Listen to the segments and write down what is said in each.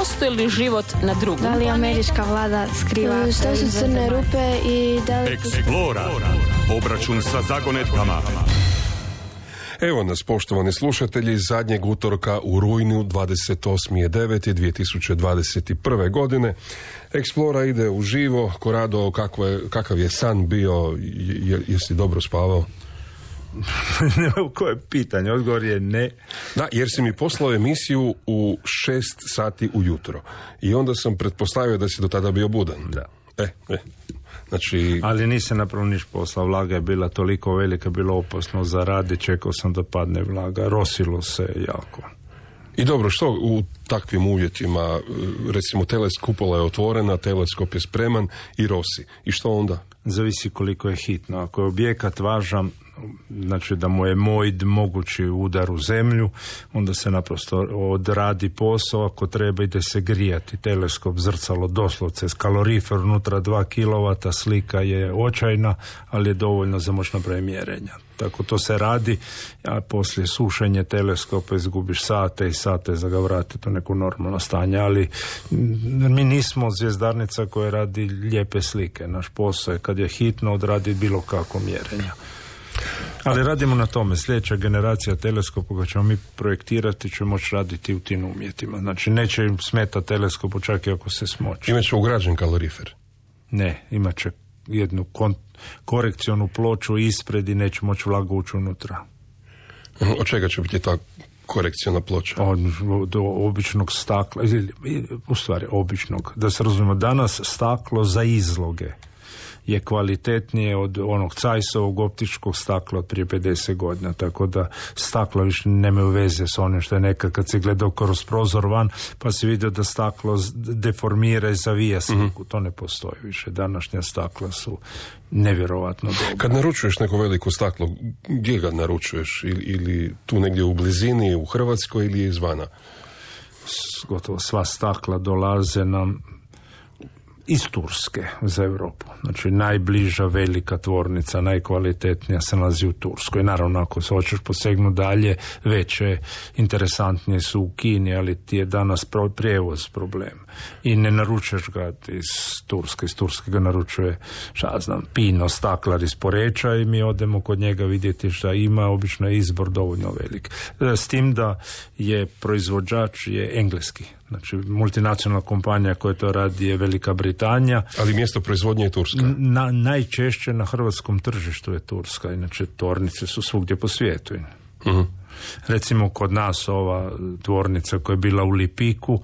postoji li život na drugom? Da li američka vlada skriva? Što su crne rupe i da li... Explora. Obračun sa zagonetkama. Evo nas, poštovani slušatelji, zadnjeg utorka u rujnu, 28.9.2021. godine. Explora ide uživo. Korado, kakav je san bio? Jesi dobro spavao? Koje pitanje? Odgovor je ne. Da, jer si mi poslao emisiju u 6 sati ujutro. I onda sam pretpostavio da si do tada bio budan. Da. Znači... Ali nisam napravo niš posla. Vlaga je bila toliko velika, bilo opasno za radi. Čekao sam da padne vlaga. Rosilo se jako. I dobro, što u takvim uvjetima, recimo kupola je otvorena, teleskop je spreman i rosi. I što onda? Zavisi koliko je hitno. Ako je objekat važan, znači da mu je mogući udar u zemlju, onda se naprosto odradi posao, ako treba ide se grijati. Teleskop, zrcalo, doslovce, kalorifer unutra 2 kW, slika je očajna, ali je dovoljno za moć napraviti mjerenja. Tako to se radi, a poslije sušenja teleskopa izgubiš sate i sate za ga vratiti u neko normalno stanje, ali mi nismo zvjezdarnica koja radi lijepe slike. Naš posao je kad je hitno odradi bilo kako mjerenja. Ali radimo na tome. Sljedeća generacija teleskopa koja ćemo mi projektirati će moći raditi u tim uvjetima. Znači neće im smeta teleskopu čak i ako se smoći. Imaće ugrađen kalorifer? Ne, imat će jednu korekcionu ploču ispred i neće moći vlaga ući unutra. Od čega će biti ta korekcijona ploča? Od običnog stakla, u stvari običnog. Da se razumijemo, danas staklo za izloge je kvalitetnije od onog Cajsovog optičkog stakla od prije 50 godina, tako da stakla više nemaju veze s onim što je nekad kad si gledao kroz prozor van pa si vidio da staklo deformira i zavija sliku. To ne postoji više. Današnja stakla su nevjerovatno dobra. Kad naručuješ neko veliko staklo, gdje ga naručuješ? Ili tu negdje u blizini, u Hrvatskoj ili izvana? Gotovo sva stakla dolaze nam iz Turske za Europu. Znači najbliža velika tvornica, najkvalitetnija se nalazi u Turskoj. Naravno, ako se hoćeš posegnuti dalje, veće, interesantnije su u Kini, ali ti je danas prijevoz problem. I ne naručuješ ga iz Turske. Iz Turske ga naručuje, Pino, staklar iz Poreča i mi odemo kod njega vidjeti šta ima, obično je izbor dovoljno velik. S tim da je proizvođač je engleski. Znači, multinacionalna kompanija koja to radi je Velika Britanija. Ali mjesto proizvodnje je Turska? Najčešće na hrvatskom tržištu je Turska. Inače, tvornice su svugdje po svijetu. Uh-huh. Recimo, kod nas ova tvornica koja je bila u Lipiku,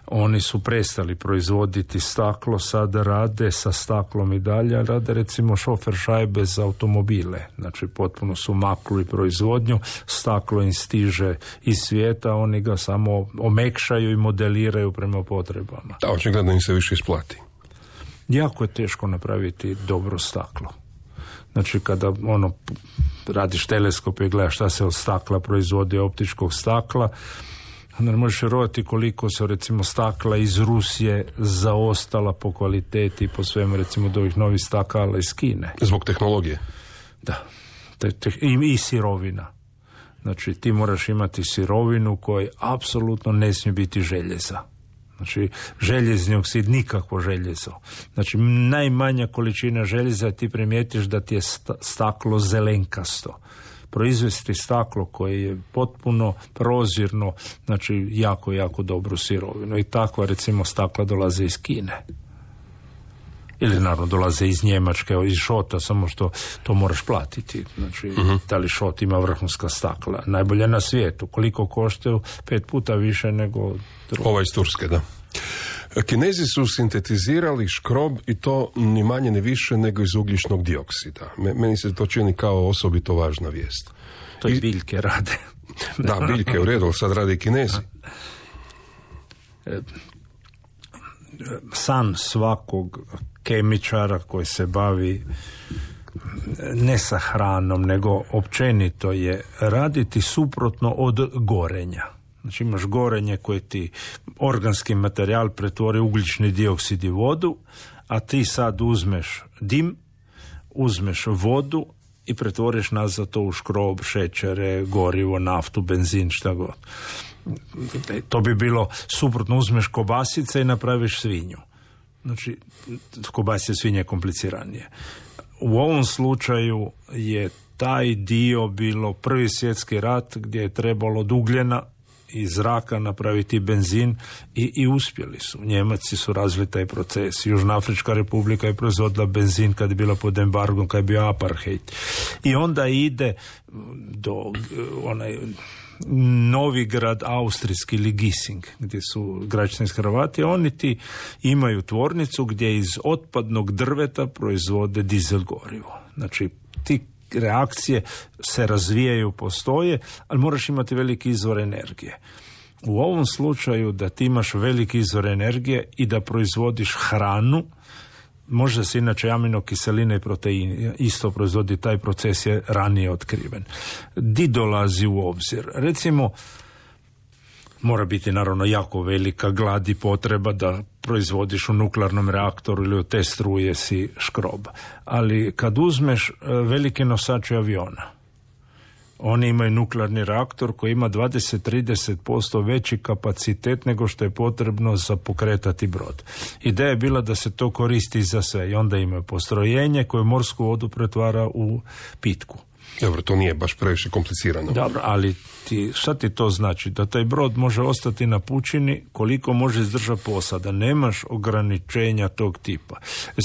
oni su prestali proizvoditi staklo, sada rade sa staklom i dalje, rade recimo šofer šajbe za automobile. Znači, potpuno su maknuli proizvodnju, staklo im stiže iz svijeta, oni ga samo omekšaju i modeliraju prema potrebama. Da, očigledno im se više isplati. Jako je teško napraviti dobro staklo. Znači, kada radiš teleskop i gledaš šta se od stakla proizvodi, optičkog stakla, onda ne možeš vjerovati koliko se recimo stakla iz Rusije zaostala po kvaliteti i po svemu, recimo od ovih novih stakala iz Kine. Zbog tehnologije? Da. I sirovina. Znači, ti moraš imati sirovinu koja apsolutno ne smije biti željeza. Znači, željezni oksid, nikakvo željezo. Znači, najmanja količina željeza, ti primijetiš da ti je staklo zelenkasto. Proizvesti staklo koje je potpuno prozirno, znači jako, jako dobru sirovinu. I takva, recimo, stakla dolaze iz Kine. Ili naravno dolaze iz Njemačke, iz Šota, samo što to moraš platiti. Znači, da li Šot ima vrhunska stakla? Najbolje na svijetu. Koliko koštaju? 5 puta više nego drugo. Ova iz Turske, da. Kinezi su sintetizirali škrob i to ni manje ni više nego iz ugljičnog dioksida. Meni se to čini kao osobito važna vijest. To i biljke rade. Da, biljke u redu, sad rade i Kinezi. San svakog kemičara koji se bavi ne sa hranom, nego općenito je raditi suprotno od gorenja. Znači imaš gorenje koje ti organski materijal pretvori ugljični dioksid i vodu, a ti sad uzmeš dim, uzmeš vodu i pretvoriš nazad to u škrob, šećere, gorivo, naftu, benzin, šta god. To bi bilo suprotno, uzmeš kobasice i napraviš svinju. Znači, kobasice svinje je kompliciranije. U ovom slučaju je taj dio bilo Prvi svjetski rat gdje je trebalo od ugljena iz zraka napraviti benzin i uspjeli su. Njemaci su razvili taj proces. Južnoafrička republika je proizvodila benzin kad je bila pod embargom, kad je bio apartheid. I onda ide do onaj Novigrad austrijski ili Gissing, gdje su građanski Hrvati, oni ti imaju tvornicu gdje iz otpadnog drveta proizvode dizel gorivo. Znači, ti reakcije se razvijaju, postoje, ali moraš imati veliki izvor energije. U ovom slučaju da ti imaš veliki izvor energije i da proizvodiš hranu, možda se inače aminokiseline i proteini isto proizvodi, taj proces je ranije otkriven. Di dolazi u obzir? Recimo, mora biti naravno jako velika glad i potreba da proizvodiš u nuklearnom reaktoru ili u te struje si škrob. Ali kad uzmeš velike nosače aviona, oni imaju nuklearni reaktor koji ima 20-30% veći kapacitet nego što je potrebno za pokretati brod. Ideja je bila da se to koristi za sve i onda imaju postrojenje koje morsku vodu pretvara u pitku. Dobro, to nije baš previše komplicirano. Dobro, ali šta ti to znači? Da taj brod može ostati na pučini koliko može izdržati posada. Nemaš ograničenja tog tipa.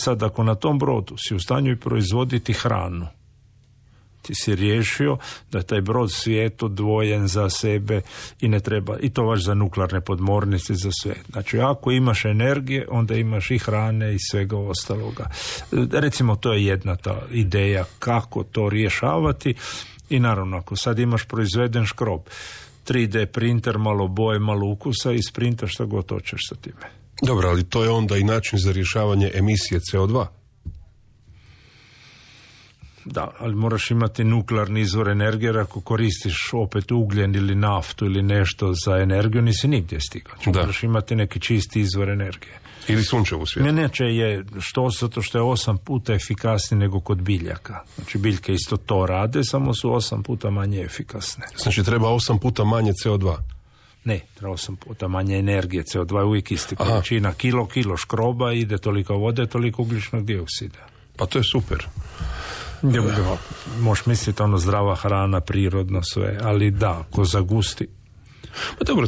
Sad, ako na tom brodu si u stanju i proizvoditi hranu, ti si riješio da je taj brod svijet odvojen za sebe i ne treba, i to vaš za nuklearne podmornice, za sve. Znači, ako imaš energije, onda imaš i hrane i svega ostaloga. Recimo, to je jedna ta ideja kako to rješavati i naravno, ako sad imaš proizveden škrob, 3D printer, malo boje, malo ukusa i sprintaš šta god hoćeš sa time. Dobro, ali to je onda i način za rješavanje emisije CO2. Da, ali moraš imati nuklearni izvor energije, jer ako koristiš opet ugljen ili naftu ili nešto za energiju, nisi nigdje stigao. Moraš imati neki čisti izvor energije. Ili sunčevu svijetu. Neće je, zato što je 8 puta efikasniji nego kod biljaka. Znači, biljke isto to rade, samo su 8 puta manje efikasne. Znači, treba 8 puta manje CO2? Ne, treba 8 puta manje energije. CO2 je uvijek isti količina. Kilo škroba, ide toliko vode, toliko ugljičnog dioksida. Pa to je super. Možeš misliti zdrava hrana, prirodno sve, ali da, ko zagusti. Pa dobro,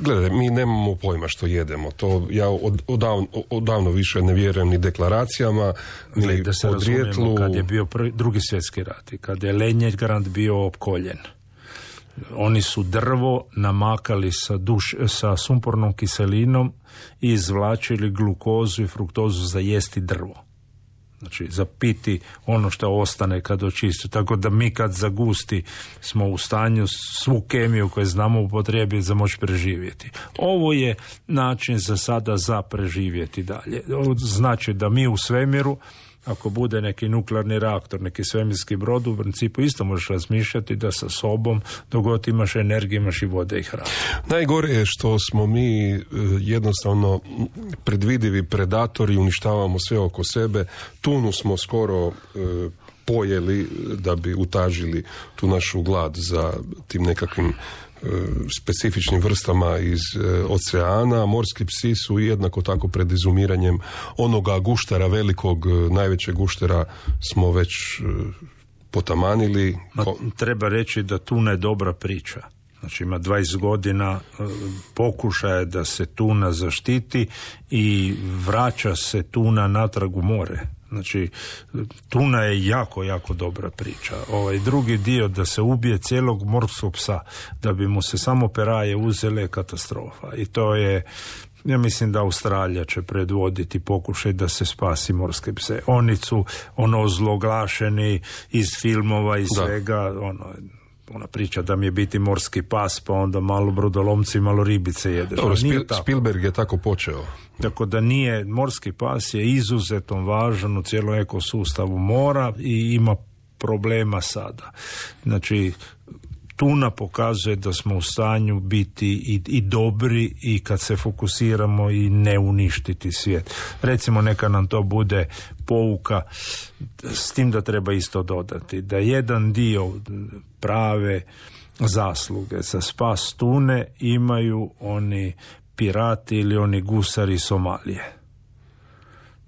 gledaj, mi nemamo pojma što jedemo. To ja odavno više ne vjerujem ni deklaracijama, ni da se razumijemo, kad je bio Drugi svjetski rat i kad je Leningrad bio opkoljen, oni su drvo namakali sa sumpornom kiselinom i izvlačili glukozu i fruktozu za jesti drvo. Znači, za piti ono što ostane kad očisti. Tako da mi kad zagusti smo u stanju svu kemiju koju znamo upotrijebiti za moći preživjeti. Ovo je način za sada za preživjeti dalje. Znači da mi u svemiru, ako bude neki nuklearni reaktor, neki svemirski brod, u principu isto možeš razmišljati da sa sobom, dok god imaš energiju, imaš i vode i hranu. Najgore je što smo mi jednostavno predvidivi predatori, uništavamo sve oko sebe. Tunu smo skoro pojeli da bi utažili tu našu glad za tim nekakvim specifičnim vrstama iz oceana. Morski psi su jednako tako pred izumiranjem onoga guštera velikog, najvećeg guštera smo već potamanili. Treba reći da tuna je dobra priča. Znači ima 20 godina pokušaja da se tuna zaštiti i vraća se tuna natrag u more. Znači, tuna je jako, jako dobra priča. Drugi dio da se ubije cijelog morskog psa, da bi mu se samo peraje uzele, je katastrofa. I to je, ja mislim da Australija će predvoditi pokušaj da se spasi morske pse. Oni su ozloglašeni iz filmova i svega, ona priča da mi je biti morski pas, pa onda malo brodolomci, malo ribice jedeš. Dobro, Spielberg je tako počeo. Tako da nije, morski pas je izuzetno važan u cijelom ekosustavu mora i ima problema sada. Znači, tuna pokazuje da smo u stanju biti i dobri i kad se fokusiramo i ne uništiti svijet. Recimo, neka nam to bude pouka, s tim da treba isto dodati da jedan dio prave zasluge za spas tune imaju oni pirati ili oni gusari iz Somalije.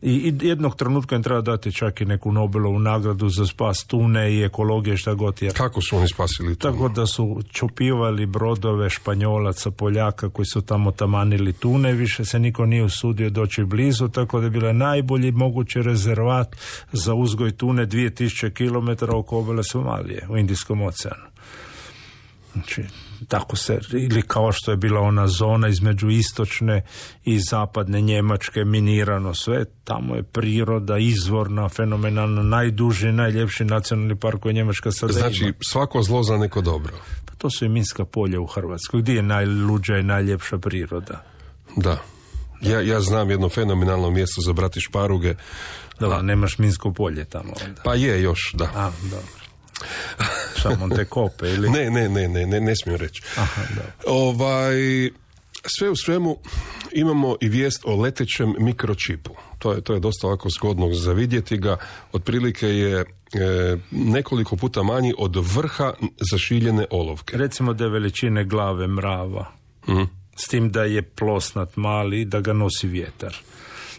I jednog trenutka im treba dati čak i neku Nobelovu nagradu za spas tune i ekologije, šta god je. Kako su oni spasili tunu? Tako da su čupivali brodove Španjolaca, Poljaka koji su tamo tamanili tune, više se niko nije usudio doći blizu, tako da je bila najbolji mogući rezervat za uzgoj tune 2000 km oko obale Somalije u Indijskom oceanu. Znači, tako se, ili kao što je bila ona zona između istočne i zapadne Njemačke, minirano sve, tamo je priroda izvorna, fenomenalna, najduži, najljepši nacionalni park koji Njemačka sada ima. Znači, svako zlo za neko dobro. Pa to su i minska polja u Hrvatskoj. Gdje je najluđa i najljepša priroda? Da. Ja znam jedno fenomenalno mjesto za brati šparuge. Da, nemaš minsko polje tamo onda. Pa je još, da. A, dobro. Šamonte kope ili? Ne smijem reći. Aha, sve u svemu imamo i vijest o letećem mikročipu. To je dosta ovako zgodno za vidjeti ga. Otprilike je nekoliko puta manji od vrha zašiljene olovke. Recimo da je veličine glave mrava. S tim da je plosnat mali, da ga nosi vjetar.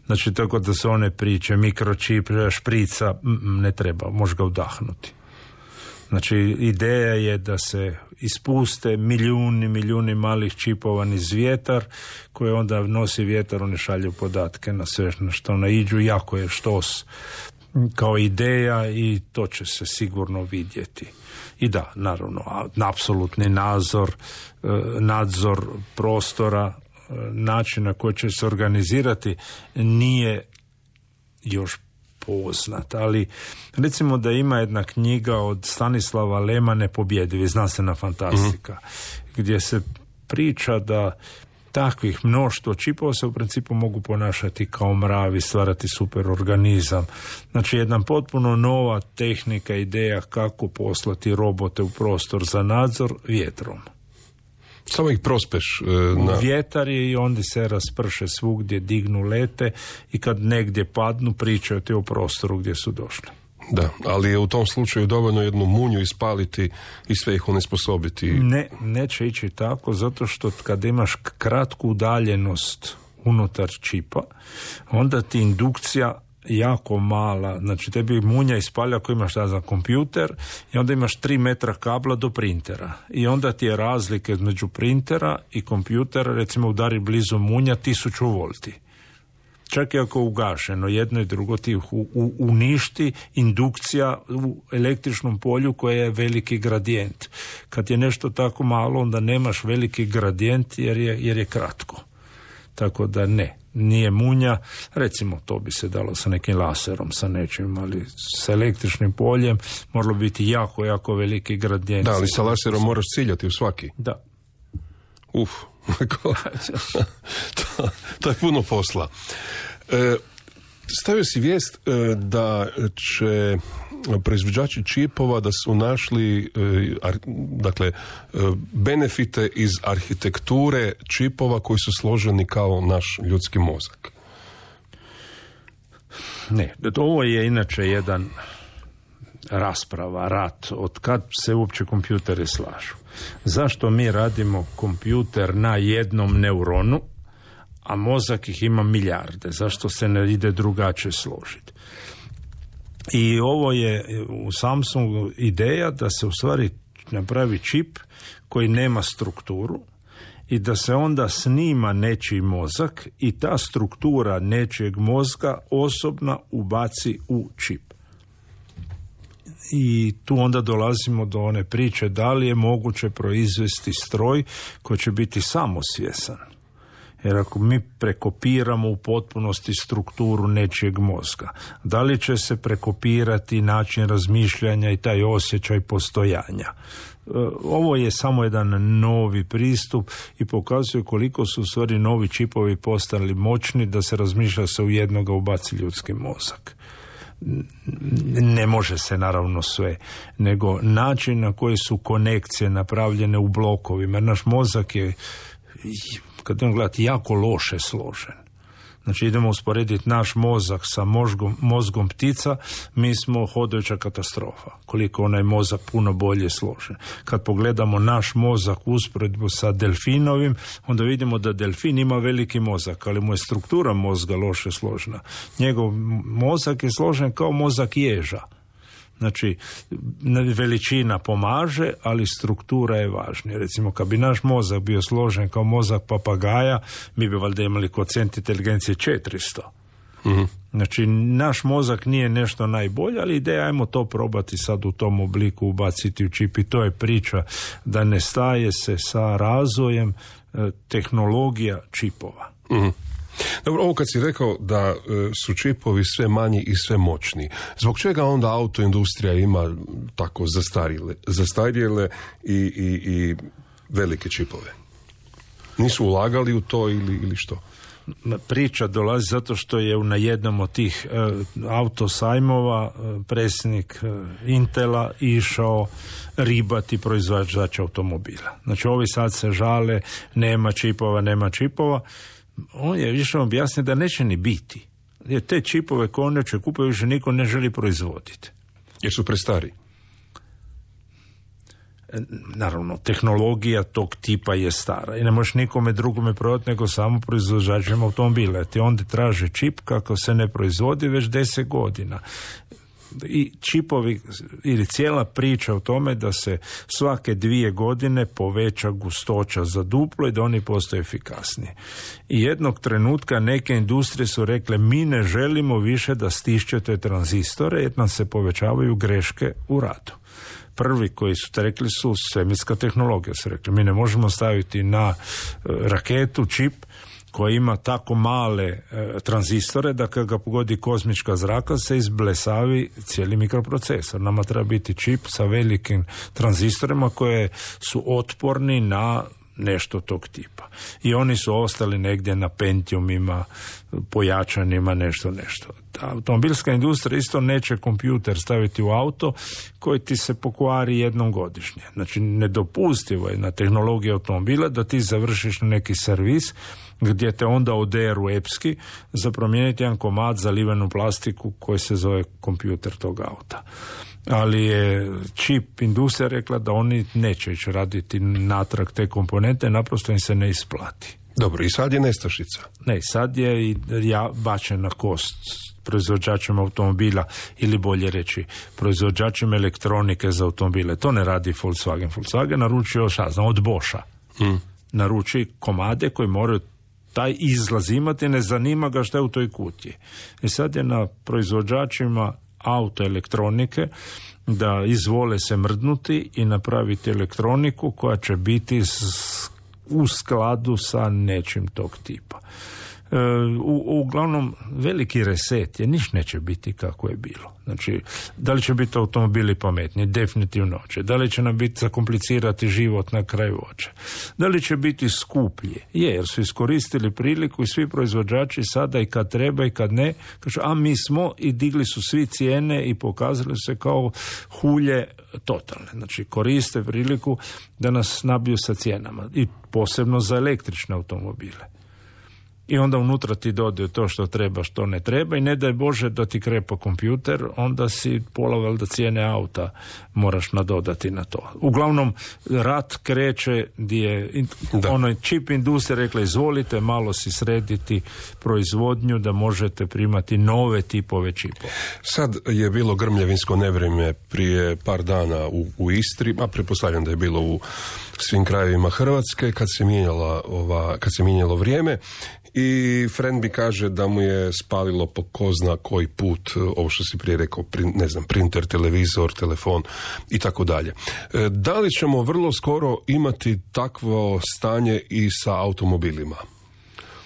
Znači, tako da se one priče, mikročip, šprica, ne treba, može ga udahnuti. Znači, ideja je da se ispuste milijuni malih čipova niz vjetar, koje onda nosi vjetar, oni šalju podatke na sve na što naiđu, jako je štos kao ideja i to će se sigurno vidjeti. I da, naravno, apsolutni nadzor prostora, načina koji će se organizirati nije još poznat, ali recimo da ima jedna knjiga od Stanislava Lema Nepobjedivi, znanstvena fantastika, gdje se priča da takvih mnoštvo čipova se u principu mogu ponašati kao mravi, stvarati superorganizam. Znači, jedna potpuno nova tehnika, ideja kako poslati robote u prostor za nadzor vjetrom. Samo ih prospeš na... Vjetar je i onda se rasprše svugdje, dignu, lete i kad negdje padnu pričaju ti o prostoru gdje su došli. Da, ali je u tom slučaju dovoljno jednu munju ispaliti i sve ih onesposobiti. Ne, neće ići tako, zato što kad imaš kratku udaljenost unutar čipa, onda ti indukcija jako mala, znači tebi munja ispalja ako imaš za kompjuter i onda imaš 3 metra kabla do printera i onda ti je razlike između printera i kompjutera, recimo udari blizu munja 1000 volti. Čak i ako je ugašeno, jedno i drugo ti uništi indukcija u električnom polju koje je veliki gradijent. Kad je nešto tako malo, onda nemaš veliki gradijent jer je kratko. Tako da nije munja, recimo to bi se dalo sa nekim laserom, sa nečim, ali sa električnim poljem moralo biti jako veliki gradijent. Da, ali sa laserom moraš ciljati u svaki. Da. To je puno posla. Stavio si vijest da će proizvođači čipova da su našli benefite iz arhitekture čipova koji su složeni kao naš ljudski mozak. Ne, ovo je inače jedan rasprava, rat, od kad se uopće kompjuteri slažu. Zašto mi radimo kompjuter na jednom neuronu, a mozak ih ima milijarde? Zašto se ne ide drugačije složiti? I ovo je u Samsungu ideja da se u stvari napravi čip koji nema strukturu i da se onda snima nečiji mozak i ta struktura nečijeg mozga osobna ubaci u čip. I tu onda dolazimo do one priče da li je moguće proizvesti stroj koji će biti samosvjesan. Jer ako mi prekopiramo u potpunosti strukturu nečijeg mozga, da li će se prekopirati način razmišljanja i taj osjećaj postojanja? Ovo je samo jedan novi pristup i pokazuje koliko su u stvari novi čipovi postali moćni da se razmišlja se u jednoga ubaci ljudski mozak. Ne može se naravno sve, nego način na koji su konekcije napravljene u blokovima. Naš mozak je, kad on gledati, jako loše složen. Znači idemo usporediti naš mozak sa mozgom ptica, mi smo hodajuća katastrofa. Koliko onaj mozak puno bolje složen. Kad pogledamo naš mozak u usporedbu sa delfinovim, onda vidimo da delfin ima veliki mozak, ali mu je struktura mozga loše složena. Njegov mozak je složen kao mozak ježa. Znači, veličina pomaže, ali struktura je važnija. Recimo, kad bi naš mozak bio složen kao mozak papagaja, mi bi valjda imali koeficijent inteligencije 400. Mm-hmm. Znači, naš mozak nije nešto najbolje, ali ideja ajmo to probati sad u tom obliku ubaciti u čip i to je priča da ne staje se sa razvojem tehnologija čipova. Mm-hmm. Dobro, ovo kad si rekao da su čipovi sve manji i sve moćniji, zbog čega onda autoindustrija ima tako zastarjele i velike čipove? Nisu ulagali u to ili što? Priča dolazi zato što je na jednom od tih autosajmova predsjednik Intela išao ribati proizvođača automobila. Znači ovi sad se žale, nema čipova. On je išao objasniti da neće ni biti. Jer te čipove koje on će kupiti više niko ne želi proizvoditi. Jer su prestari. Naravno, tehnologija tog tipa je stara i ne možeš nikome drugome prodati nego samo proizvođačima automobila. Ti onda traže čip kako se ne proizvodi već 10 godina. I čipovi ili cijela priča o tome da se svake 2 godine poveća gustoća za duplo i da oni postaju efikasniji. I jednog trenutka neke industrije su rekle mi ne želimo više da stišćete tranzistore jer nam se povećavaju greške u radu. Prvi koji su rekli su svemirska tehnologija. Su rekli mi ne možemo staviti na raketu čip koja ima tako male tranzistore da kad ga pogodi kozmička zraka se izblesavi cijeli mikroprocesor. Nama treba biti čip sa velikim tranzistorima koje su otporni na nešto tog tipa. I oni su ostali negdje na Pentiumima, pojačanima, nešto. Automobilska industrija isto neće kompjuter staviti u auto koji ti se pokvari jednom godišnje. Znači, nedopustivo je na tehnologiji automobila da ti završiš neki servis gdje te onda oderu epski za promijeniti jedan komad za livenu plastiku koji se zove kompjuter tog auta. Ali je čip industrija rekla da oni neće ići raditi natrag te komponente, naprosto im se ne isplati. Dobro, i sad je nestašica. Ne, sad je bačen na kost proizvođačima automobila ili bolje reći proizvođačima elektronike za automobile. To ne radi Volkswagen. Volkswagen naručio od Boscha. Naruči komade koji moraju taj izlaz imati, ne zanima ga šta je u toj kutiji. I sad je na proizvođačima autoelektronike da izvole se mrdnuti i napraviti elektroniku koja će biti u skladu sa nečim tog tipa. Uglavnom, veliki reset je, niš neće biti kako je bilo. Znači, da li će biti automobili pametni? Definitivno će. Da li će nam biti zakomplicirati život na kraju hoće? Da li će biti skuplje? Jer su iskoristili priliku i svi proizvođači sada i kad treba i kad ne, kažu, a mi smo i digli su svi cijene i pokazali se kao hulje totalne. Znači, koriste priliku da nas nabiju sa cijenama i posebno za električne automobile. I onda unutra ti dodaju to što treba, što ne treba i ne daj Bože da ti krepa kompjuter, onda si pola valjda cijene auta moraš nadodati na to. Uglavnom, rat kreće gdje onaj čip industrija rekla izvolite malo si srediti proizvodnju da možete primati nove tipove čipova. Sad je bilo grmljavinsko nevrijeme prije par dana u Istri, a pretpostavljam da je bilo u svim krajevima Hrvatske kad se mijenjalo vrijeme. I Frenby kaže da mu je spalilo po ko zna koji put, ovo što si prije rekao, printer, televizor, telefon i tako dalje. Da li ćemo vrlo skoro imati takvo stanje i sa automobilima?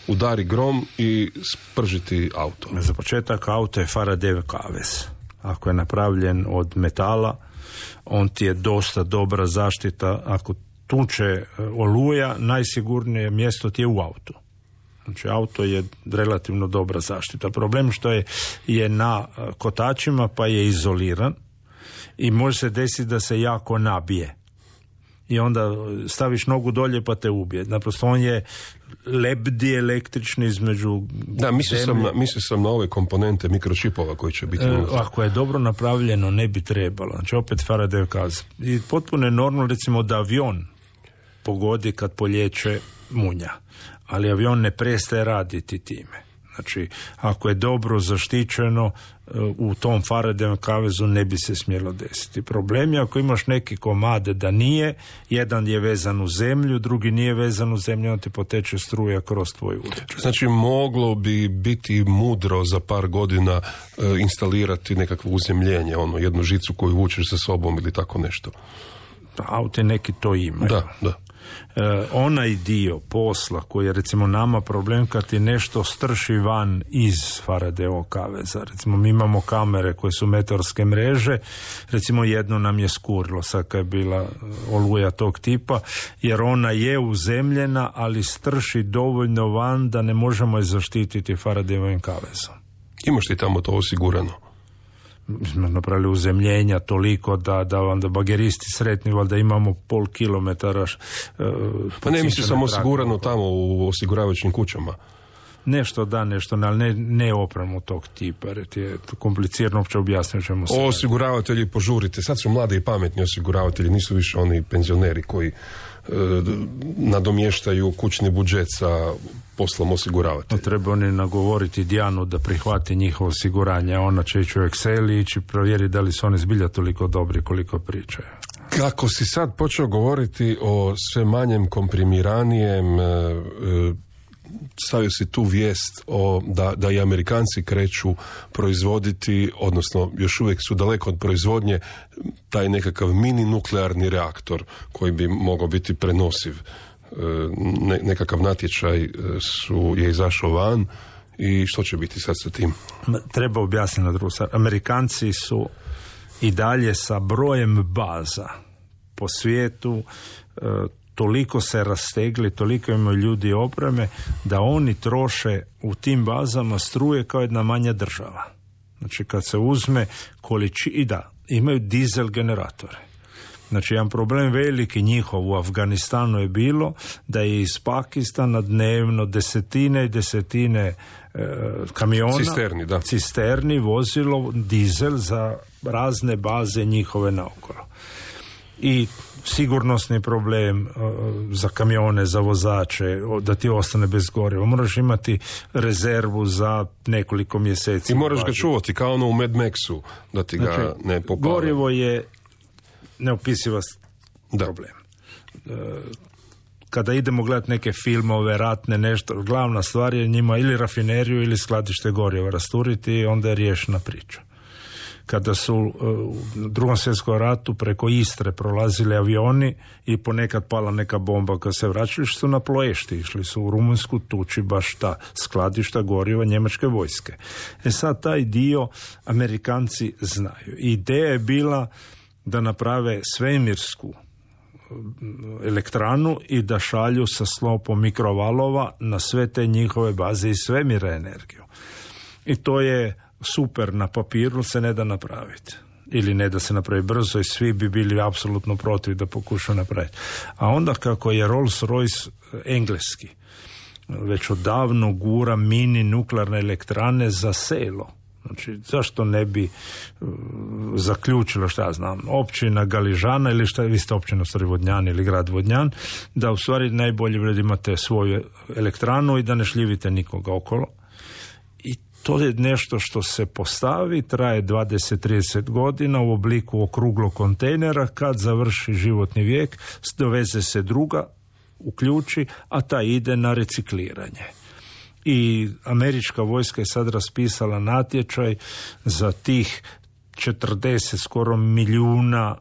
Udari grom i spržiti auto. Za početak auto je Faradayjev kavez. Ako je napravljen od metala, on ti je dosta dobra zaštita. Ako tuče oluja, najsigurnije mjesto ti je u autu. Znači, auto je relativno dobra zaštita. Problem što je na kotačima pa je izoliran i može se desiti da se jako nabije. i onda staviš nogu dolje pa te ubije. Naprosto on je lebdi električni između... Da, mislio sam na ove komponente mikročipova koji će biti... Ako je dobro napravljeno, ne bi trebalo. Znači, opet Faraday kaz. I potpuno je normalno, recimo, da avion pogodi kad polječe munja. Ali avion ne prestaje raditi time. Znači, ako je dobro zaštićeno, u tom Faradayovom kavezu ne bi se smjelo desiti. Problem je ako imaš neki komade da nije, jedan je vezan u zemlju, drugi nije vezan u zemlju, on ti poteče struja kroz tvoj uređaj. Znači, moglo bi biti mudro za par godina instalirati nekakvo uzemljenje, jednu žicu koju vučeš sa sobom ili tako nešto. Auti neki to imaju. Da. Onaj dio posla koji je recimo nama problem kad ti nešto strši van iz Faradayovog kaveza. Recimo mi imamo kamere koje su meteorske mreže, recimo jedno nam je skurilo sad kad je bila oluja tog tipa, jer ona je uzemljena, ali strši dovoljno van da ne možemo je zaštititi Faradayovim kavezom. Imaš ti tamo to osigurano? Napravili uzemljenja toliko da onda bageristi sretni, valjda imamo pol kilometara. Pa ne mislim samo osigurano tamo u osiguravajućim kućama. Nešto da, nešto ne, ali ne opremu tog tipa, jer ti je komplicirano uopće objasniti čemu se... Osiguravatelji, požurite, sad su mladi i pametni osiguravatelji, nisu više oni penzioneri koji nadomještaju kućni budžet sa poslom osiguravatelja. Treba oni nagovoriti Dijanu da prihvati njihovo osiguranje, ona će ići u Excel i ići provjeriti da li su oni zbilja toliko dobri koliko pričaju. Kako si sad počeo govoriti o sve manjem komprimiranijem, stavio si tu vijest da i Amerikanci kreću proizvoditi, odnosno još uvijek su daleko od proizvodnje, taj nekakav mini nuklearni reaktor koji bi mogao biti prenosiv. Nekakav natječaj je izašao van i što će biti sad sa tim? Treba objasniti na drugu stvar. Amerikanci su i dalje sa brojem baza po svijetu toliko se rastegli, toliko imaju ljudi i opreme da oni troše u tim bazama struje kao jedna manja država. Znači kad se uzme i da, imaju dizel generatore. Znači jedan problem veliki njihov u Afganistanu je bilo da je iz Pakistana dnevno desetine i desetine kamiona, cisterni vozilo dizel za razne baze njihove naokolo. I sigurnosni problem za kamione, za vozače, da ti ostane bez goriva. Moraš imati rezervu za nekoliko mjeseci. I moraš ga čuvati kao ono u Mad Maxu, da ti ga ne popale. Gorivo je neopisiva problem. Kada idemo gledati neke filmove, ratne, nešto, glavna stvar je njima ili rafineriju ili skladište goriva rasturiti i onda je riješena priča. Kada su u Drugom svjetskom ratu preko Istre prolazili avioni i ponekad pala neka bomba kad se vraćali, su na Ploešti, išli su u Rumunjsku tuči baš ta skladišta goriva njemačke vojske. Sad taj dio Amerikanci znaju. Ideja je bila da naprave svemirsku elektranu i da šalju sa slopom mikrovalova na sve te njihove baze iz svemira energiju. I to je super, na papiru se ne da napraviti. Ili ne da se napravi brzo i svi bi bili apsolutno protiv da pokušaju napraviti. A onda kako je Rolls-Royce engleski već odavno gura mini nuklearne elektrane za selo. Znači, zašto ne bi zaključilo, šta ja znam, općina Galižana ili šta, vi ste općina stvari Vodnjan ili grad Vodnjan, da u stvari najbolje da imate svoju elektranu i da ne šljivite nikoga okolo. I to je nešto što se postavi, traje 20-30 godina u obliku okruglog kontejnera, kad završi životni vijek, doveze se druga, uključi, a ta ide na recikliranje. I američka vojska je sad raspisala natječaj za tih 40 skoro milijuna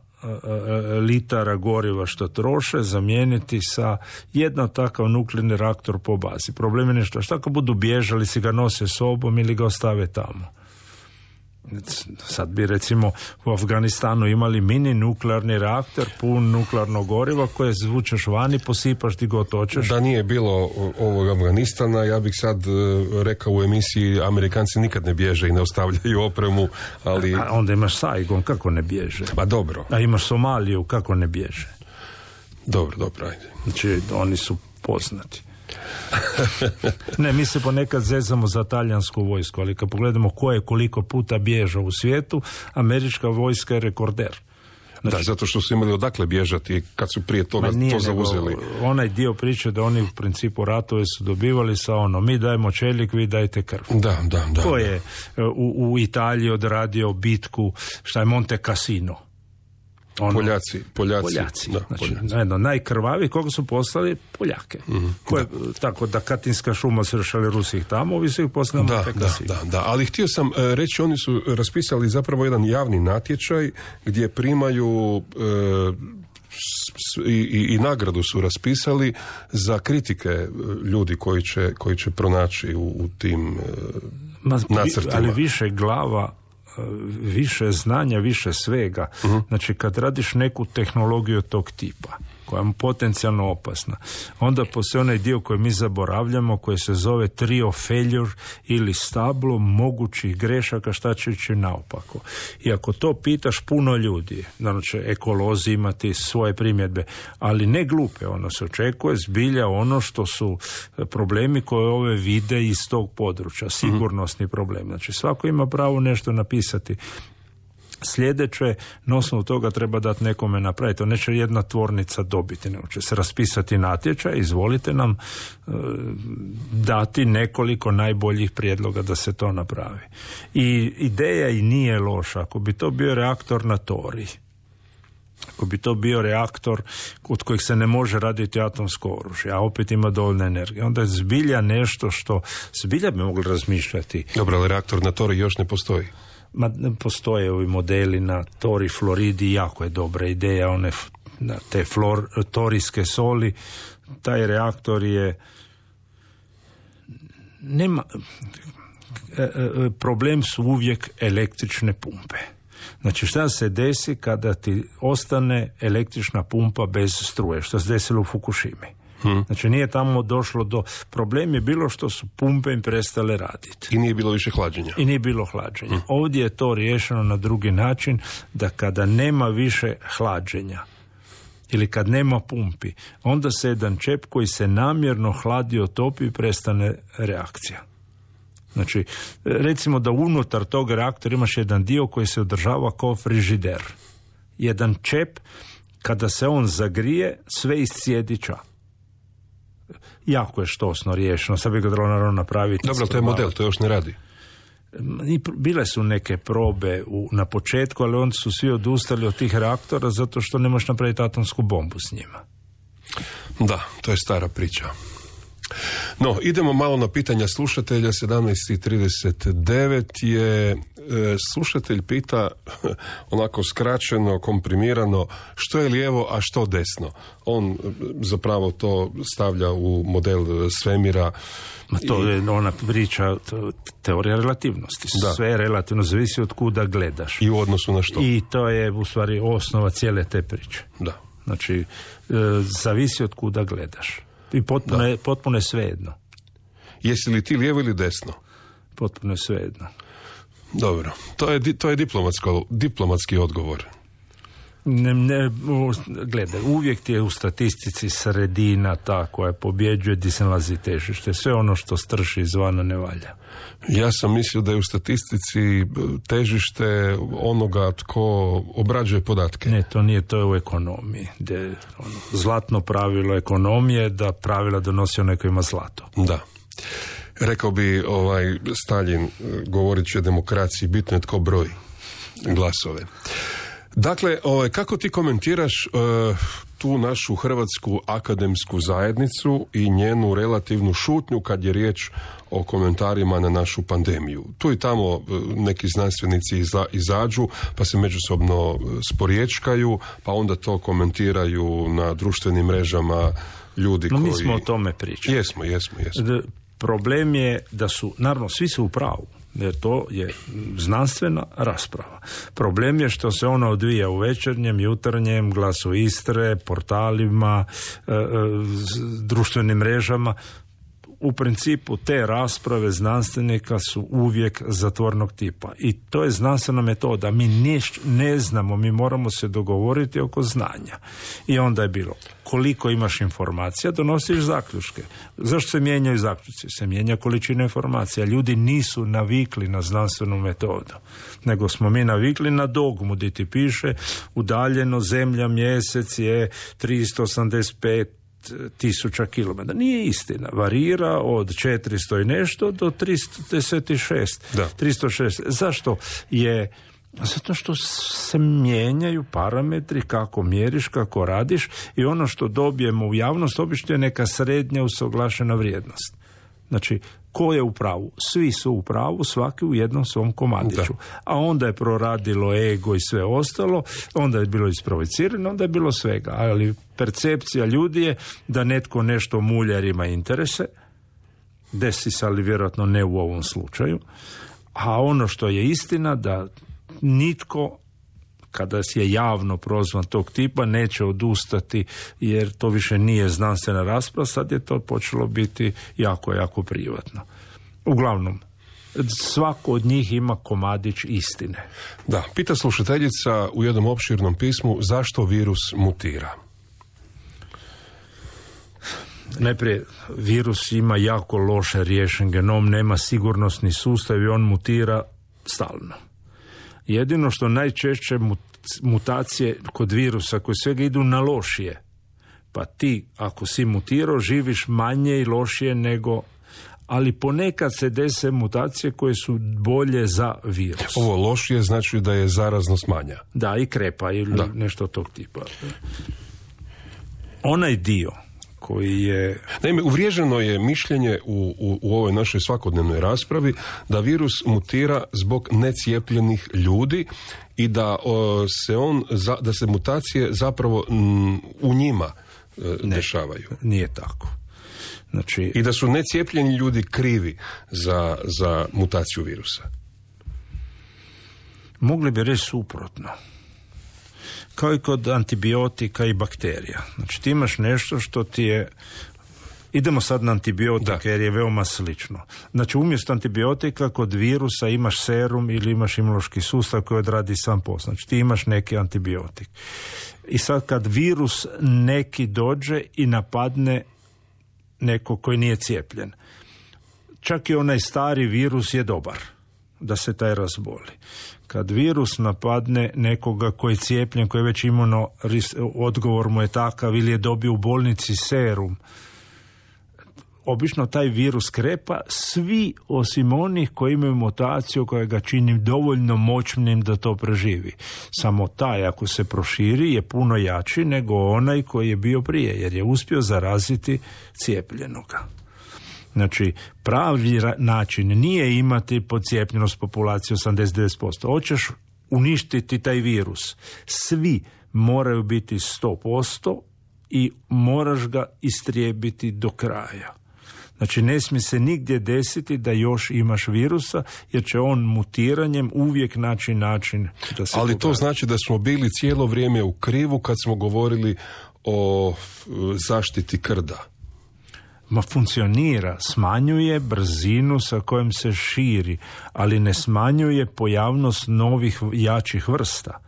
litara goriva što troše, zamijeniti sa jedan takav nuklearni reaktor po bazi. Problem je nešto, šta ako budu bježali, si ga nose sobom ili ga ostave tamo? Sad bi recimo u Afganistanu imali mini nuklearni reaktor pun nuklearnog goriva koje zvučeš vani, posipaš ti god hoćeš. Da nije bilo ovog Afganistana, ja bih sad rekao u emisiji Amerikanci nikad ne bježe i ne ostavljaju opremu, ali... A onda imaš Saigon, kako ne bježe? Pa dobro. A imaš Somaliju, kako ne bježe? Dobro, ajde. Znači, oni su poznati. Ne, mi se ponekad zezamo za talijansku vojsku, ali kad pogledamo ko je koliko puta bježao u svijetu, američka vojska je rekorder. Znači, da, zato što su imali odakle bježati kad su prije toga to zauzeli. Onaj dio priče da oni u principu ratove su dobivali sa mi dajemo čelik, vi dajte krv. Da. Ko je u Italiji odradio bitku, šta je Monte Cassino? Poljaci. Da, znači, najkrvavi koga su poslali Poljake. Tako da Katinska šuma su rešali Rusih tamo, ovi su ih poslali Monte Cassino. Da, ali htio sam reći, oni su raspisali zapravo jedan javni natječaj gdje primaju i nagradu su raspisali za kritike ljudi koji će pronaći u tim nacrtima. Ali više glava, više znanja, više svega. Znači, kad radiš neku tehnologiju tog tipa, koja je potencijalno opasna, onda postoji onaj dio koji mi zaboravljamo, koji se zove trio failure ili stablo mogućih grešaka, šta će ići naopako. I ako to pitaš puno ljudi, naravno će ekolozi imati svoje primjedbe, ali ne glupe, ono se očekuje zbilja ono što su problemi koje ove vide iz tog područja, sigurnosni problem. Znači, svako ima pravo nešto napisati. Sljedeće, na osnovu toga treba dati nekome napraviti. To neće jedna tvornica dobiti, nego će se raspisati natječaj, izvolite nam dati nekoliko najboljih prijedloga da se to napravi. I ideja i nije loša. Ako bi to bio reaktor na tori, ako bi to bio reaktor od kojeg se ne može raditi atomsko oružje, a opet ima dovoljno energije, onda je zbilja nešto što zbilja bi mogli razmišljati. Dobro, ali reaktor na tori još ne postoji. Postoje ovi modeli na tori Floridi, jako je dobra ideja, te torijske soli. Taj reaktor je problem su uvijek električne pumpe. Znači, šta se desi kada ti ostane električna pumpa bez struje, što se desilo u Fukushimi? Znači, nije tamo došlo do... Problem je bilo što su pumpe im prestale raditi. I nije bilo više hlađenja. Ovdje je to riješeno na drugi način, da kada nema više hlađenja ili kad nema pumpi, onda se jedan čep koji se namjerno hladi otopi i prestane reakcija. Znači, recimo da unutar tog reaktora imaš jedan dio koji se održava kao frižider. Jedan čep, kada se on zagrije, sve iscijedi ča. Jako je štosno riješeno, sad bi ga trebalo naravno napraviti. Dobro, to je model, to još ne radi. Bile su neke probe na početku, ali onda su svi odustali od tih reaktora zato što ne možeš napraviti atomsku bombu s njima. Da, to je stara priča. No, idemo malo na pitanja slušatelja. 17:39 je slušatelj pita onako skraćeno, komprimirano, što je lijevo, a što desno. On zapravo to stavlja u model svemira. To je ona priča, teorija relativnosti. Da. Sve je relativno, zavisi od kuda gledaš. I u odnosu na što. I to je u stvari osnova cijele te priče. Da. Znači, zavisi od kuda gledaš. I potpuno je svejedno. Jesi li ti lijevo ili desno? Potpuno je svejedno. Dobro, to je diplomatski odgovor. Gledaj, uvijek ti je u statistici sredina ta koja pobjeđuje gdje se nalazi težište. Sve ono što strši izvana ne valja. Ja sam mislio da je u statistici težište onoga tko obrađuje podatke. Ne, to nije, to je u ekonomiji. Zlatno pravilo ekonomije da pravila donosi onaj koji ima zlato. Da. Rekao bi Staljin, govorit će o demokraciji, bitno je tko broji glasove. Dakle, kako ti komentiraš tu našu hrvatsku akademsku zajednicu i njenu relativnu šutnju kad je riječ o komentarima na našu pandemiju? Tu i tamo neki znanstvenici izađu, pa se međusobno sporječkaju, pa onda to komentiraju na društvenim mrežama ljudi koji... Mi smo o tome pričali. Jesmo. Problem je da su, naravno, svi su u pravu, jer to je znanstvena rasprava. Problem je što se ona odvija u Večernjem, Jutarnjem, Glasu Istre, portalima, društvenim mrežama. u principu te rasprave znanstvenika su uvijek zatvornog tipa. I to je znanstvena metoda. Mi ne znamo, mi moramo se dogovoriti oko znanja. I onda je bilo, koliko imaš informacija, donosiš zaključke. Zašto se mijenjaju zaključci? Se mijenja količina informacija. Ljudi nisu navikli na znanstvenu metodu, nego smo mi navikli na dogmu, gdje ti piše udaljeno zemlja mjesec je 385.000 kilometara. Nije istina. Varira od 400 i nešto do 336. 306. Zašto je? Zato što se mijenjaju parametri kako mjeriš, kako radiš i ono što dobijemo u javnost obično je neka srednja usuglašena vrijednost. Znači, ko je u pravu? Svi su u pravu, svaki u jednom svom komadiću. A onda je proradilo ego i sve ostalo, onda je bilo isprovocirano, onda je bilo svega. Ali percepcija ljudi je da netko nešto mulja jer ima interese, desi se, ali vjerojatno ne u ovom slučaju. A ono što je istina da nitko, kada je javno prozvan tog tipa, neće odustati jer to više nije znanstvena rasprava, sad je to počelo biti jako, jako privatno. Uglavnom, svako od njih ima komadić istine. Da, pita slušateljica u jednom opširnom pismu zašto virus mutira. Najprije, virus ima jako loše riješen genom, nema sigurnosni sustav i on mutira stalno. Jedino što najčešće mutacije kod virusa koje svega idu na lošije. Pa ti, ako si mutirao, živiš manje i lošije nego... Ali ponekad se dese mutacije koje su bolje za virus. Ovo lošije znači da je zaraznost manja. Da, i krepa ili nešto tog tipa. Onaj dio koji je... Naime, uvriježeno je mišljenje u ovoj našoj svakodnevnoj raspravi da virus mutira zbog necijepljenih ljudi i da se mutacije zapravo u njima dešavaju. Nije tako. Znači... I da su necijepljeni ljudi krivi za mutaciju virusa. Mogli bi reći suprotno. Kao i kod antibiotika i bakterija. Znači ti imaš nešto što ti je... Idemo sad na antibiotike jer je veoma slično. Znači umjesto antibiotika kod virusa imaš serum ili imaš imunološki sustav koji odradi sam posao. Znači ti imaš neki antibiotik. I sad kad virus neki dođe i napadne neko koji nije cijepljen, čak i onaj stari virus je dobar da se taj razboli. Kad virus napadne nekoga koji je cijepljen, koji je već odgovor mu je takav ili je dobio u bolnici serum, obično taj virus krepa, svi osim onih koji imaju mutaciju koja ga čini dovoljno moćnim da to preživi. Samo taj, ako se proširi, je puno jači nego onaj koji je bio prije, jer je uspio zaraziti cijepljenoga. Znači, pravi način nije imati podcijepljenost populacije 89%. Hoćeš uništiti taj virus. Svi moraju biti 100% i moraš ga istrijebiti do kraja. Znači, ne smije se nigdje desiti da još imaš virusa, jer će on mutiranjem uvijek naći način da se... Ali to znači da smo bili cijelo vrijeme u krivu kad smo govorili o zaštiti krda. Funkcionira, smanjuje brzinu sa kojom se širi, ali ne smanjuje pojavnost novih jačih vrsta.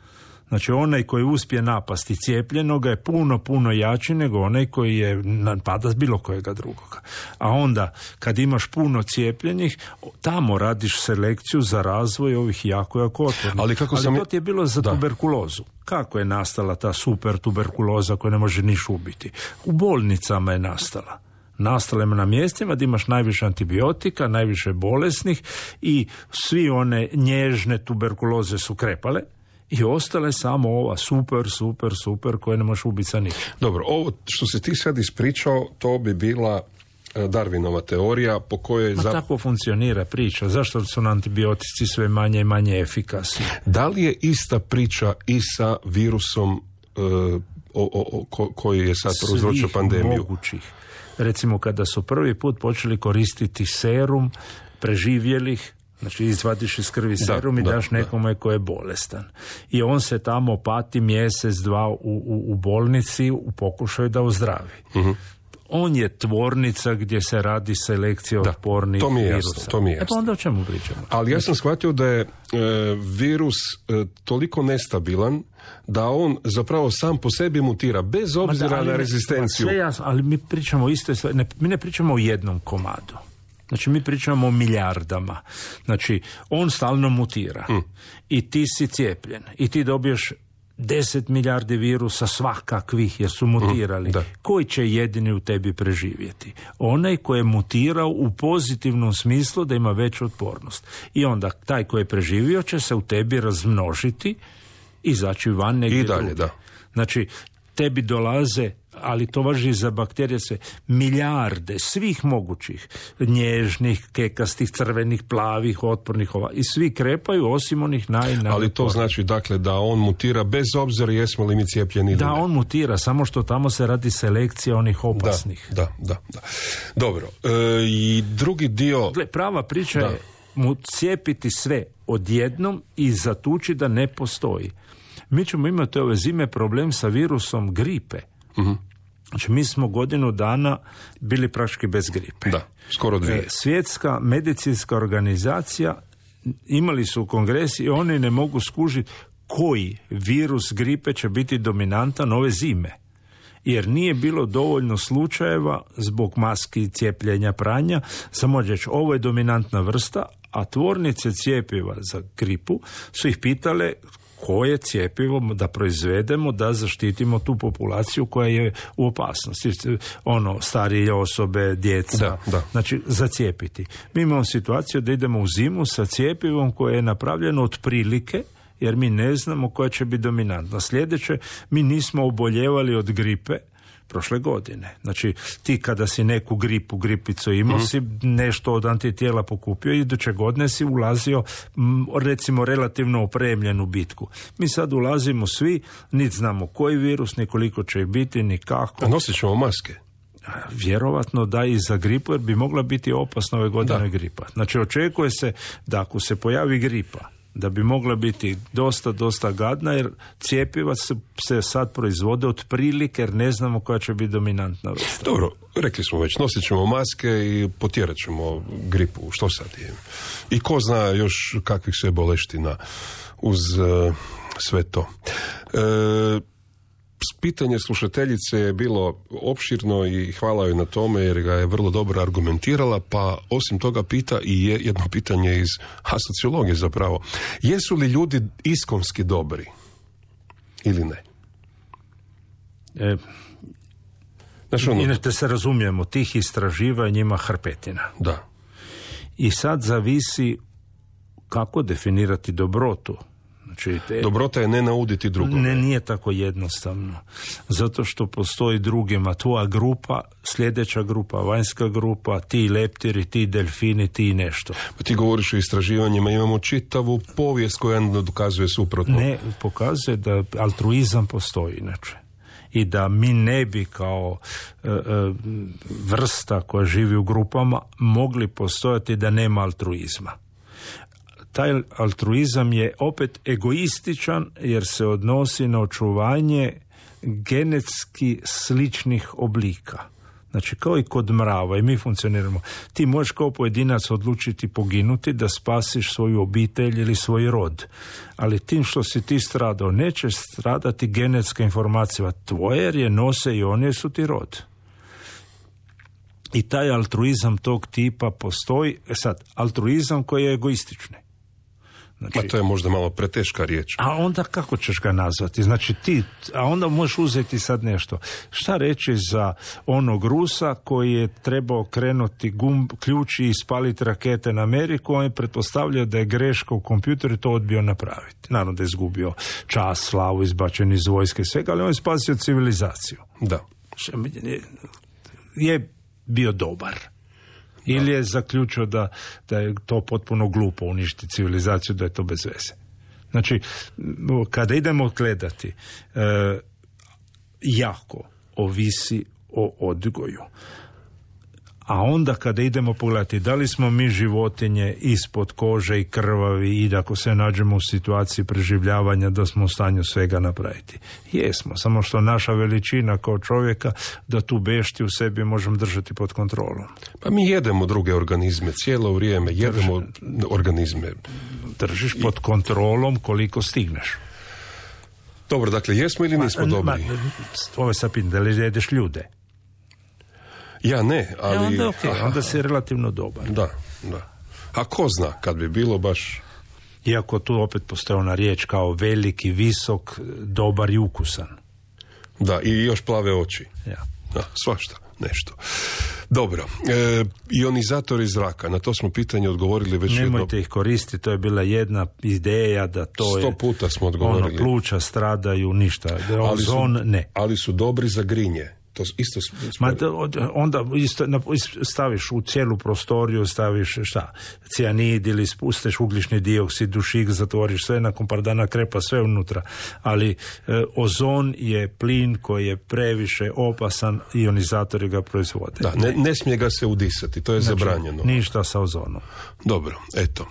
Znači onaj koji uspije napasti cijepljenoga je puno jači nego onaj koji je napada bilo kojega drugoga. A onda kad imaš puno cijepljenih, tamo radiš selekciju za razvoj ovih jako otpornih. Ali to ti je bilo za tuberkulozu. Kako je nastala ta super tuberkuloza koja ne može niš ubiti? U bolnicama je nastala. Nastale na mjestima gdje imaš najviše antibiotika, najviše bolesnih i svi one nježne tuberkuloze su krepale i ostale samo ova super koje ne možeš ubiti sa ničim. Dobro, ovo što si ti sad ispričao, to bi bila Darwinova teorija po kojoj... Tako funkcionira priča. Zašto su antibiotici sve manje i manje efikasni? Da li je ista priča i sa virusom koji je sad prouzročio pandemiju? Svih mogućih. Recimo kada su prvi put počeli koristiti serum preživjelih, znači izvadiš iz krvi serum i daš nekome ko je bolestan. I on se tamo pati mjesec, dva u bolnici u pokušaju da ozdravi. Uh-huh. on je tvornica gdje se radi selekcija otpornih virusa. To mi je jasno. Pa onda o čemu pričamo? Ali ja sam shvatio da je virus toliko nestabilan da on zapravo sam po sebi mutira, bez obzira na rezistenciju. Sve jasno, ali mi pričamo isto, mi ne pričamo o jednom komadu. Znači, mi pričamo o milijardama. Znači, on stalno mutira. I ti si cijepljen. I ti dobiješ 10 milijardi virusa svakakvih jer su mutirali. Koji će jedini u tebi preživjeti? Onaj koji je mutirao u pozitivnom smislu da ima veću otpornost. I onda taj koji je preživio će se u tebi razmnožiti i izaći van negdje i dalje, drugi. Znači, tebi dolaze, ali to važi i za bakterije, se milijarde svih mogućih nježnih, kekastih, crvenih, plavih, otpornih i svi krepaju osim onih Ali to znači dakle da on mutira bez obzira jesmo li mi cijepljeni ili ne. Da, on mutira, samo što tamo se radi selekcija onih opasnih. Da. Dobro, i drugi dio... Prava priča je mu cijepiti sve odjednom i zatući da ne postoji. Mi ćemo imati ove zime problem sa virusom gripe. Znači, mi smo godinu dana bili praktički bez gripe. Da, skoro 2. Svjetska medicinska organizacija imali su kongres i oni ne mogu skužiti koji virus gripe će biti dominantan ove zime. Jer nije bilo dovoljno slučajeva zbog maski, cijepljenja, pranja. Samo reći, ovo je dominantna vrsta, a tvornice cijepiva za gripu su ih pitale koje cjepivo da proizvedemo da zaštitimo tu populaciju koja je u opasnosti. Starije osobe, djeca. Znači, zacijepiti. Mi imamo situaciju da idemo u zimu sa cjepivom koje je napravljeno otprilike, jer mi ne znamo koja će biti dominantna. Sljedeće, mi nismo oboljevali od gripe prošle godine. Znači, ti kada si neku gripicu imao, si nešto od antitijela pokupio i iduće godine si ulazio, recimo, relativno opremljenu bitku. Mi sad ulazimo svi, niti znamo koji virus, ni koliko će biti, ni kako. A nosit ćemo maske? Vjerovatno da i za gripu, jer bi mogla biti opasna ove godine gripa. Znači, očekuje se da ako se pojavi gripa, da bi mogla biti dosta gadna, jer cjepiva se sad proizvode otprilike, jer ne znamo koja će biti dominantna vrsta. Dobro, rekli smo već, nosit ćemo maske i potjerat ćemo gripu. Što sad je? I ko zna još kakvih sve boleština uz sve to. Pitanje slušateljice je bilo opširno i hvala joj na tome jer ga je vrlo dobro argumentirala, pa osim toga pita i jedno pitanje iz sociologije zapravo. Jesu li ljudi iskonski dobri ili ne? Inače se razumijemo, tih istraživanja ima hrpetina. Da. I sad zavisi kako definirati dobrotu. Znači, dobrota je ne nauditi drugome. Nije tako jednostavno. Zato što postoji drugima. Tvoja grupa, sljedeća grupa, vanjska grupa, ti leptiri, ti delfini, ti nešto. Pa ti govoriš o istraživanjima, imamo čitavu povijest koja dokazuje suprotno. Ne, pokazuje da altruizam postoji inače. I da mi ne bi kao vrsta koja živi u grupama mogli postojati da nema altruizma. Taj altruizam je opet egoističan jer se odnosi na očuvanje genetski sličnih oblika. Znači, kao i kod mrava, i mi funkcioniramo. Ti možeš kao pojedinac odlučiti poginuti da spasiš svoju obitelj ili svoj rod. Ali tim što si ti stradao, nećeš stradati genetska informacija tvoje, jer je nose i one su ti rod. I taj altruizam tog tipa postoji. Sad, altruizam koji je egoistični. Znači, to je možda malo preteška riječ. A onda kako ćeš ga nazvati? Znači a onda možeš uzeti sad nešto. Šta reći za onog Rusa koji je trebao krenuti ključ i ispaliti rakete na Ameriku, on je pretpostavljao da je greška u kompjuteru to odbio napraviti. Naravno da je izgubio čast, slavu, izbačen iz vojske i svega, ali on je spasio civilizaciju. Da. Je bio dobar. Ili je zaključio da je to potpuno glupo uništiti civilizaciju, da je to bez veze. Znači, kada idemo gledati, jako ovisi o odgoju. A onda kada idemo pogledati da li smo mi životinje ispod kože i krvavi i da ako se nađemo u situaciji preživljavanja da smo u stanju svega napraviti. Jesmo, samo što naša veličina kao čovjeka da tu bešti u sebi možemo držati pod kontrolom. Pa mi jedemo druge organizme, cijelo vrijeme jedemo organizme. Držiš pod kontrolom koliko stigneš. Dobro, dakle, jesmo ili nismo dobri? Ovo je sad pitanje, da li jedeš ljude? Ja ne, ali... Onda okay, onda si relativno dobar. Da. A ko zna, kad bi bilo baš... Iako tu opet postoji ona riječ kao veliki, visok, dobar i ukusan. Da, i još plave oči. Ja. Da, svašta, nešto. Dobro, ionizatori zraka, na to smo pitanje odgovorili već jedno... Nemojte ih koristiti, to je bila jedna ideja da to 100 puta smo odgovorili. Pluća stradaju, ništa. Ozon, ne. Ali su dobri za grinje. To isto onda staviš u cijelu prostoriju, staviš cijanid ili spustiš ugljični dioksid, dušik, zatvoriš sve, nakon par dana krepa sve unutra. Ali ozon je plin koji je previše opasan, ionizatori ga proizvode. Da, ne smije ga se udisati, to je zabranjeno. Ništa sa ozonom. Dobro, eto.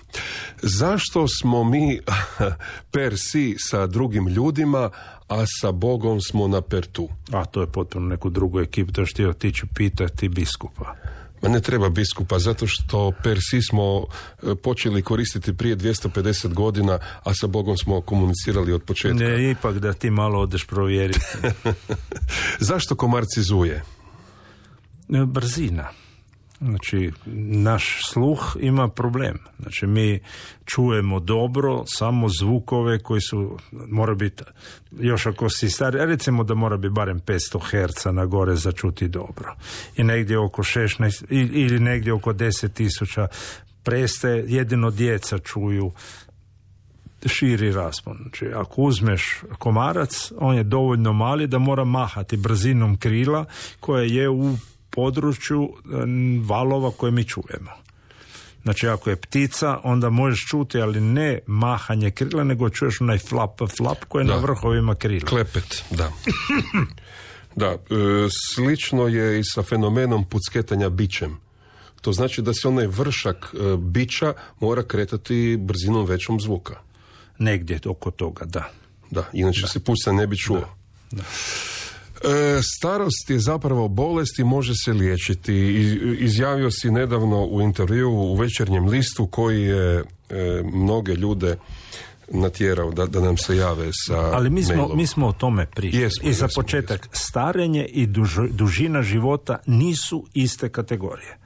Zašto smo mi per si sa drugim ljudima, a sa Bogom smo na pertu? A to je potpuno neku drugu ekipu, to što otići pitati biskupa. Ma ne treba biskupa, zato što per si smo počeli koristiti prije 250 godina, a sa Bogom smo komunicirali od početka. Ne, ipak da ti malo odeš provjeriti. Zašto komarci zuje? Brzina. Znači, naš sluh ima problem. Znači, mi čujemo dobro samo zvukove koji su, mora biti, još ako si stari, recimo da mora biti barem 500 Hz na gore za čuti dobro. I negdje oko 16, ili negdje oko 10.000 prestaje, jedino djeca čuju širi raspon. Znači, ako uzmeš komarac, on je dovoljno mali da mora mahati brzinom krila koja je u području valova koje mi čujemo. Znači, ako je ptica, onda možeš čuti, ali ne mahanje krila, nego čuješ onaj flap koji je na vrhovima krila. Klepet, da. Da, slično je i sa fenomenom pucketanja bićem. To znači da se onaj vršak bića mora kretati brzinom većom zvuka. Negdje oko toga, da. Da, inače se puca ne bi čuo. Da. Starost je zapravo bolest i može se liječiti. Izjavio si nedavno u intervjuu u Večernjem listu koji je mnoge ljude natjerao da nam se jave sa ali mailom. mi smo o tome pričali. I za početak, starenje i dužina života nisu iste kategorije.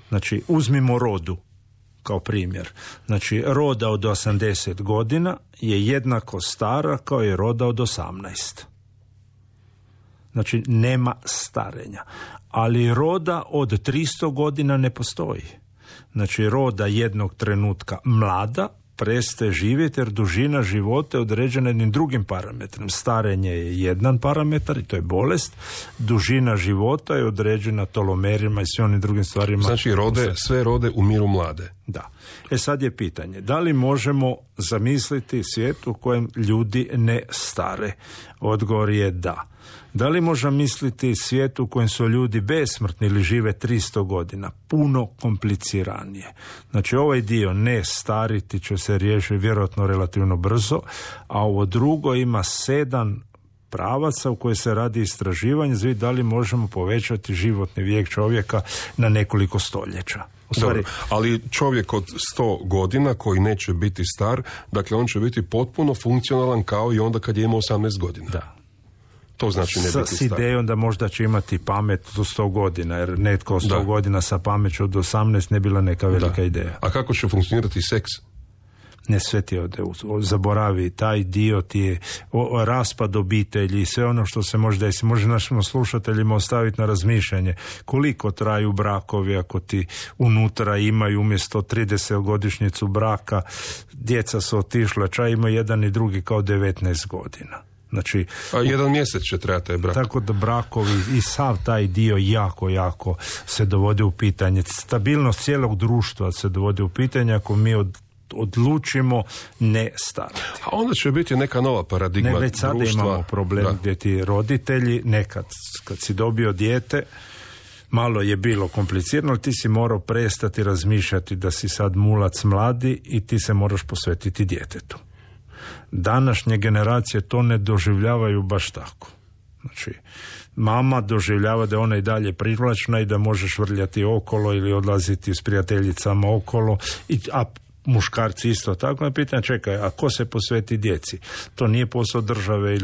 Znači, uzmimo rodu kao primjer. Znači, roda od 80 godina je jednako stara kao i roda od 18. Znači, nema starenja. Ali roda od 300 godina ne postoji. Znači, roda jednog trenutka mlada prestaje živjeti jer dužina života je određena jednim drugim parametrom. Starenje je jedan parametar i to je bolest. Dužina života je određena tolomerima i svim onim drugim stvarima. Znači, sve rode umiru mlade. Da. Sad je pitanje, da li možemo zamisliti svijet u kojem ljudi ne stare? Odgovor je da. Da li možemo misliti svijet u kojem su ljudi besmrtni ili žive 300 godina? Puno kompliciranije. Znači, ovaj dio ne stariti će se riješiti vjerojatno relativno brzo, a ovo drugo ima 7 pravaca u kojoj se radi istraživanje, znači da li možemo povećati životni vijek čovjeka na nekoliko stoljeća. Dobro, ali čovjek od 100 godina koji neće biti star, dakle on će biti potpuno funkcionalan kao i onda kad je imao 18 godina. Da. To znači ne biti s idejom da možda će imati pamet do 100 godina, jer netko 100 godina sa pameću od 18 ne bila neka velika ideja. A kako će funkcionirati seks? Ne, sve ti zaboravi, taj dio ti je raspad obitelji i sve ono što se može desiti. Može našim slušateljima ostaviti na razmišljanje koliko traju brakovi ako ti unutra imaju umjesto 30-godišnjicu braka, djeca su otišla, čak ima jedan i drugi kao 19 godina. Znači, a 1 mjesec će trebati taj brak. Tako da brakovi i sav taj dio jako se dovodi u pitanje. Stabilnost cijelog društva se dovodi u pitanje ako mi odlučimo ne starati. A onda će biti neka nova paradigma društva. Već sada imamo problem gdje ti roditelji nekad, kad si dobio dijete, malo je bilo komplicirano, ali ti si morao prestati razmišljati da si sad mulac mladi i ti se moraš posvetiti djetetu. Današnje generacije to ne doživljavaju baš tako. Znači, mama doživljava da je ona i dalje privlačna i da možeš vrljati okolo ili odlaziti s prijateljicama okolo, a muškarci isto tako. Na pitanje, čekaj, a ko se posveti djeci? To nije posao države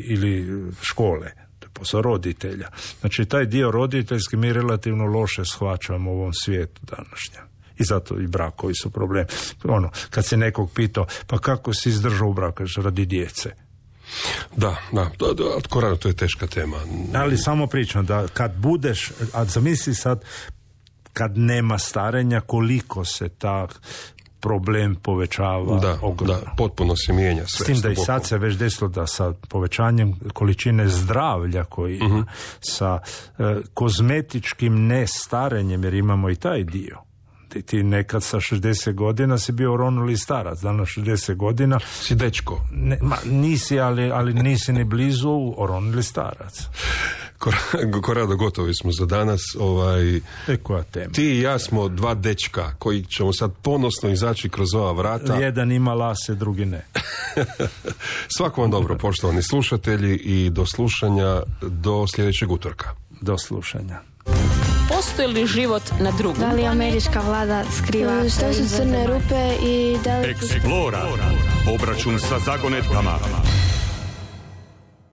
ili škole, to je posao roditelja. Znači, taj dio roditeljski mi relativno loše shvaćamo u ovom svijetu današnjem. I zato i brakovi su problem. Kad se nekog pitao, pa kako si izdržao u braku, radi djece? Da, to je teška tema. Ali samo pričam da kad budeš, a zamisli sad kad nema starenja, koliko se ta problem povećava. Da, potpuno se mijenja sve. S tim da i sad se već desilo da sa povećanjem količine zdravlja koji ima, sa kozmetičkim nestarenjem, jer imamo i taj dio. Ti nekad sa 60 godina si bio oronuli starac, danas 60 godina si dečko. Nisi, ali nisi ni blizu oronuli starac. Korado, gotovi smo za danas. Koja tema? Ti i ja smo dva dečka koji ćemo sad ponosno izaći kroz ova vrata. Jedan ima lase, drugi ne. Svako vam dobro, poštovani slušatelji, i do slušanja do sljedećeg utorka. Do slušanja. Postoji li život na drugom? Da li američka vlada skriva? Što su crne rupe i da li... Explora. Obračun sa zagonetkama.